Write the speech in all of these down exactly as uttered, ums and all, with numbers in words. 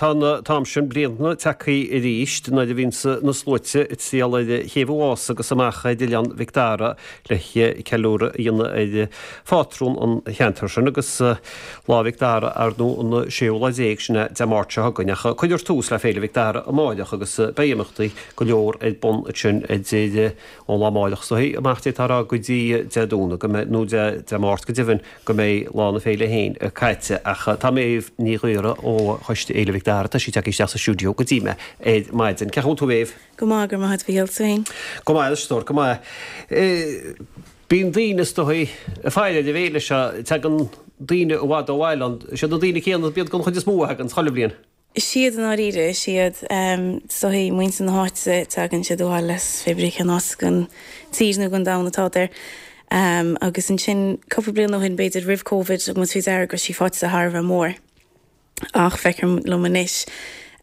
tá an t-am sin bliana tagtha arís nuair a bhíonns na sluaite ag triall ar Chéibh an Mhása agus amach ar Oileán Mhic Dara le ceiliúradh a dhéanamh ar phátrún an cheantair sin agus Lá Mhic Dara ar ndóigh an séú lá déag sin é Dé Máirt seo chugainn ach cuirfear tús le Féile Mhic Dara amáireach agus beidh imeachtaí go leor ar bun ansin idir ón lá amáireach so amach d'fhéadfá a rá go dtí Dé Domhnaigh go mbeidh nó Dé Máirt go deimhin go mbeidh lá na féile féin caite ach tá Méabh Ní Ghaora ó Choiste Fhéile Mhic Dara tá sí tagtha isteach sa stiúideo go dtí mé ar maidin. Cén chaoi a bhfuil tú Méabh? Go maith go maith bhí féin. Go maith stór go maith. Bíonn daoine is dóigh ag faire ar an bhféile seo tagann daoine i bhfad ó bhaile ann. Siad na daoine céanna bíonn den chuid is mó a thagann chuile bhliain. Siad an áiríre siad soithí muintir na háite tagann siad abhaile as pé brí cén áit den tír nó den domhan atá there. Um, agus ansin cúpla bliain ó shin b'fhéidir roimh Covid muid faoi deara go sí fáite thar a bheith mór. Ach feicim liom anois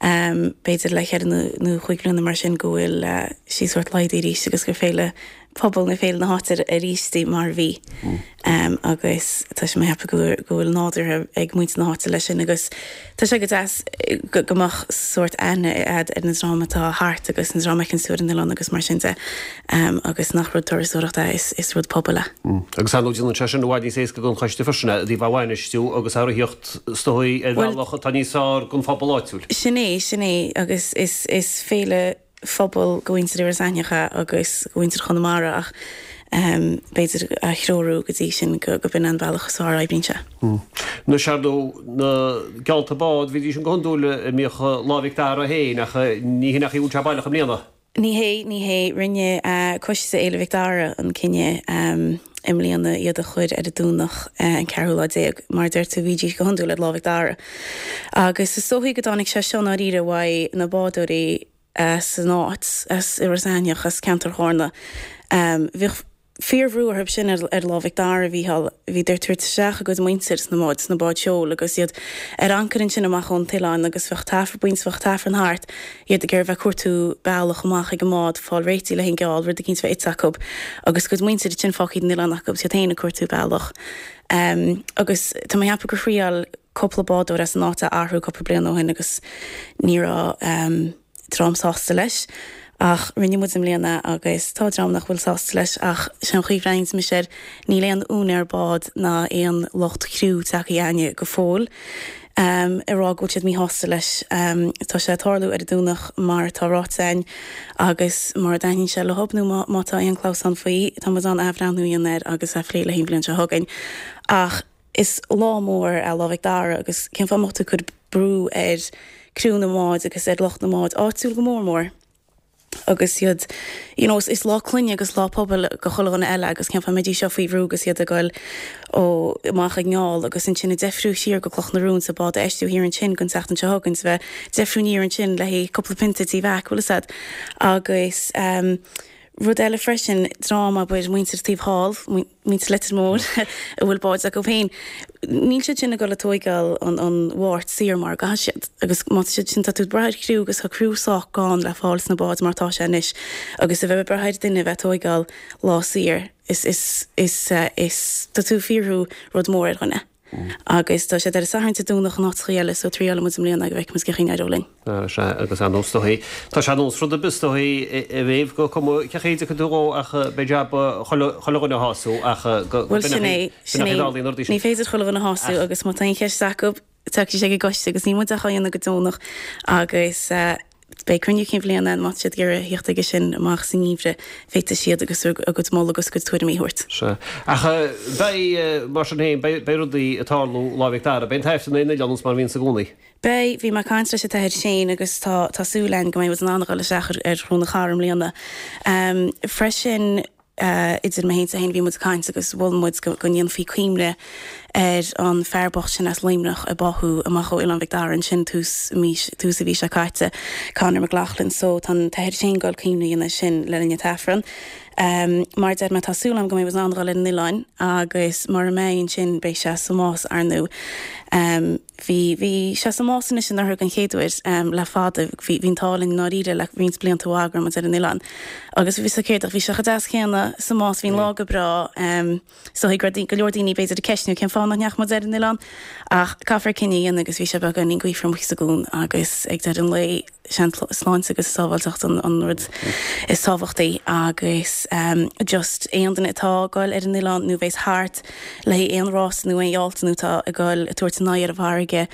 um, b'fhéidir le ceithre nó cúig bliana mar sin go bhfuil uh, sí sórt laghdaithe arís agus gur féile pobal na féile na háite arís mar bhí. Mm. Um, agus tá sé hepa go bhfuil nádúrtha ag muintir na háite leis sin agus tá sé go deas go go mbeadh sórt aithne a'd ar na dream atá thart agus an dream an sur an oileán agus mar sin de um, agus nach rud turasóireachta is, is rud pobail é. Mm. Agus an déanann sé sin i bhfad níos éasca don choiste freisin i dtaobh a bhainistiú agus a rithíocht stoí ar bhealach atá níos fearr don phobal áitiúil. Sin é sin é agus is, is féile phobal do mhuintir Iorras Aithneach agus do mhuintir Chonamara ach um, b'fhéidir a threorú go dtí sin go go b'in an bealach is fearr oibríonn sé. Mm. Na seardó na geallta bád bhí sin go hiondúil i mbíodh Lá Mhic Dara féin ach ní hin ach í sé baileach i mbliana. Ní hé ní hé rinne uh, Coiste Fhéile Mhic Dara an cinneadh um, i mbliana iad a chur ar an Domhnach uh, an ceathrú lá déag mar deir tú bhídís go hiondúil ar Lá Mhic Dara. Agus is dóichí go dtáinig sé seo áiríre uaidh na bádóirí uh, san áit as Iorras Aithneach as ceantar Chárna. Um, Bhíodh fíorbhrú orthu sin ar, ar Lá Mhic Dara bhí bhí ag tabhairt isteach a gcuid muintir sna báid sna báid seoil agus iad ar ancair ansin amach ón oileán agus bheadh taifir buint bheadh taifir thart iad ag bheith cuartú bealach amach ag an mbád fáil réití le hingeáil rud cín bheith acu agus gcuid muintir sin fágtha an oileán acu siad féin ag cuartú bealach. Um, agus tá mé ag ceapadh gur thriail cúpla bádóir as an áit a athrú cúpla bliain ó shin agus ní raibh um, dream sásta leis. Ach rinne muid i mbliana agus tá dream nach bhfuil sásta leis ach sin chuomhrein mis air níl aon úinéir bád ná aon lucht criú tagtha chugainne go fóill. Um, ag rá go bhfuil siad míshásta leis um, tá sé ag tarlú ar an Domhnach mar tá ráite againn agus mar dahin sé le hobnú má tá aon clamhsán faoi tá muid an athbhreithniú a dhéanamh air agus a phlé le haon bhliain seo chugainn. Ach is lá mór é Lá Mhic Dara agus cén fáth tú chur brú ar criú na mbád agus ar lucht na mbád áitiúil go mór mór. agus iad you know, is lá clainne agus lá pobail do chuile dhuine eile agus cén fáth mbeidís seo faoi bhrú agus iad ag goil ó amach ag ngeall agus ansin ag deifriú siar go Cloch na Rún sa bád eistiú thiar ansin gon seachtain seo chugainn bheith deifriú aniar ansin le haghaidh cúpla pionta tí bheith bhfuil sad agus um, rud eile freisin dream abair muintir taobh thall muintir Leitir Móir a bhfuil báid acu féin. Níl siad sin ag dul ag tógáil an an Mháirt saor mar ga siad agus má siad sin tá tú ag brath ar chriú agus tá criú sách gann le fáil sna báid mar tá sé anois agus a bheith ag brath ar duine bheith tógáil lá saor is is is uh, is tá tú fíorú rud mór ar dhuine. Mm. Agus tá sé ar Satharn Dé Domhnach an áit eile so triail muid i mbliana go bhfeicfimid cén chaoi a n-éireoidh linn. Se agus an nóstoí Tá sé nós rud bestoí i bhéh go com chéide go dú ach be jab chuile dhuine a shású ach Well sin é ní féidir chuile dhuine a shású agus má tá aon cheist acu tá sé go goiste agus ní muid a chaanna go dónach agus uh, beidh cruinniú cinn bhliana má siad ag iarraidh theacht aige sin amach san ngeimhreadh féadfaidh siad agus a gcuid moladh agus a gcuid tuairimí a thabhairt. Se. Ach beidh mar sin féin beidh rudaí ag tarlú Lá Mhic Dara, beidh an t-aifreann ar an oileán mar bhíonn i gcónaí. Beidh bhí mé ag caint leis an t-athair Shane agus tá tá súil againn go mbeidh an an isteach ar ar Chró na Cara i mbliana. Um, freisin uh, idir mé féin féin bhí muid ag caint agus mhol muid go, go ndéanfaí cuimhne ar an fear bocht sin as Luimneach a báthadh amach ó Oileán Mhic Dara ansin tús mí tús an mhí seo caite Conor McLaughlin so tá an t-athair sin ag goil cuimhne a dhéanamh sin le linn an t-aifreann. Um, mar deir mé tá súil agam go mbeidh an gáil an oileán agus mar a mé sin beidh sé sa Más ar ndóigh. Um, Bhí bhí sé sa Más anois anuraidh an chéad uair um, le fada bhí bhí an t-ádh linn ndáiríre le roinnt blianta go raibh muid ar an oileán. Agus bhí sa céadach bhí sé chomh deas céanna sa Más bhí an lá go breá um, so go raibh go leor daoine b'fhéidir ag ceistniú cén fáth nach ndeachaigh muid ar an oileán ach caithfear cinneadh a dhéanamh agus bhí sé beagáinín gaofar amuigh sa gcuan agus ag deireadh an lae sin sláinte agus sábháilteacht an, an rud is tábhachtaí agus um, just aon duine atá ag goil ar an oileán nó bheas thart le aon rás nó aon fhéile nó tá ag goil ag tabhairt aghaidh ar an bhfarraige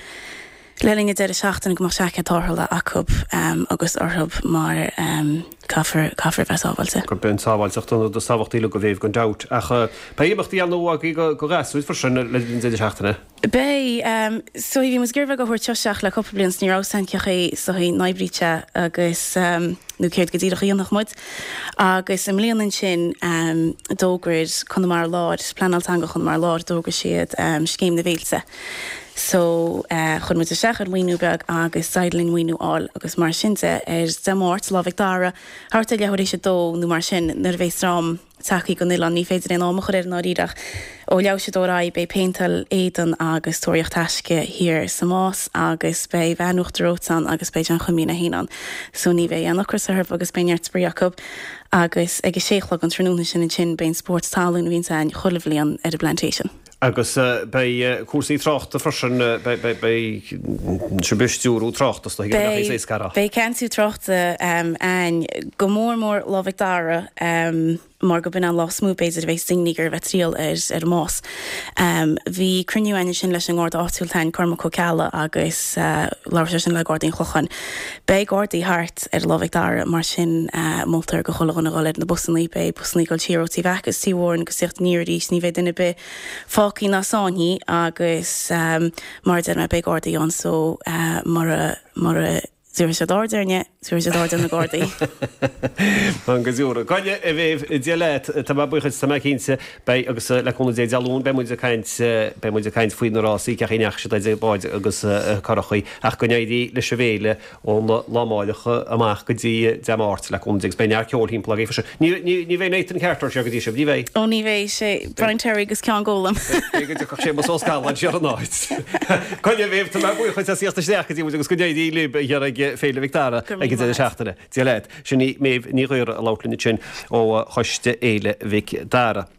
le linn an deireadh seachtaine go mbeadh seaicéad tarrthála acu um, agus orthu mar um, caithfear caithfear bheith sábháilte. Gurb é an tsábháilteacht an rud is tábhachtaí le go bhféh gan dabht ach beidh imeachtaí ann agaibh go go gasúir freisin le linn deireadh seachtaine. Beidh um, so bhí muid ag iarraidh a thabhairt isteach le cúpla bliain ní raibh san ceché so n-oibríte agus um, nó céard go díreach a dhéanfadh muid. Agus i mbliana ansin um, d'fhógair Conamara Láir, Pleanáil Teanga Chonamara Láir d'fhógair siad um, scéim na bhféilte. So uh, chuir muid isteach ar mhaoiniú beag agus d'éirigh linn maoiniú a fháil agus mar sin de ar Dé Máirt Lá Mhic Dara thart ar leathuair théis a dó nó mar sin nuair a bheas dream tagtha gon oileán ní féidir aon am a chur air ndáiríre ó leathuair théis a dó ar aghaidh beidh péinteáil éadan agus tóraíocht taisce thiar sa Más agus beidh veain Uachtar Reoite ann agus beidh an Choimín féin ann. So ní bheidh aon ocras orthu agus beidh neart spraoi acu agus ag a sé a chlog an tráthnóna sin ansin beidh spórt talún a bhíonn ann chuile bhliain ar an bPlantation. Agus uh, beidh uh, cúrsaí tráchta freisin uh, beidh sibh ag stiúradh tráchta Beidh Beidh ceansú tráchta um, ann go mór mór Lá Mhic Dara um, mar go b'in an lá is mó b'fhéidir a bheas daoine ag bheith triall ar ar Más. Um, bhí cruinniú ann sin leis an nGarda áitiúil tain Cormac Ó Ceallaigh agus uh, labhair sin le Gardaí an Chlocháin. Beidh Gardaí thart ar Lá Mhic Dara mar sin uh, moltar go chuile dhuine dhul ar na busanna beidh busanna ag dul siar ó Tí agus Tí Mhóran go teacht aniar arís ní bheidh duine ar bith fágtha ná sáinnithe agus um, mar deir mé beidh Gardaí ann so uh, mar mar Dúir sé dáirne dúir sé dáir na Gardaí. An go dúra. Gaine a bhéh dé leit tá buchas tá cinnte beidh agus le cúnamh Dé Dé Luain beidh muid ag caint beidh muid ag caint faoi na rásaí ceach neach se báid agus curachaí ach go n-éirí leis an bhféile ón lá amárach amach go dtí Dé Máirt le cúnamh Dé beidh neart ceol timpeall agaibh freisin. Ní ní bheidh Nathan Carter sé go dtí sibh, ní bheidh. Ó ní bheidh sé Brian Terry agus Ceann Gólam. Go dtiocfadh sé mas óscalan sé an áit. Coinne bhéh tá buchas as isteach go dtí agus go n-éirí libh ag Féile Mhic Dara ag an deireadh seachtaine. Dia leat sin í Méabh Ní Ghaora a labhairt linn sin ó Choiste Fhéile Mhic Dara.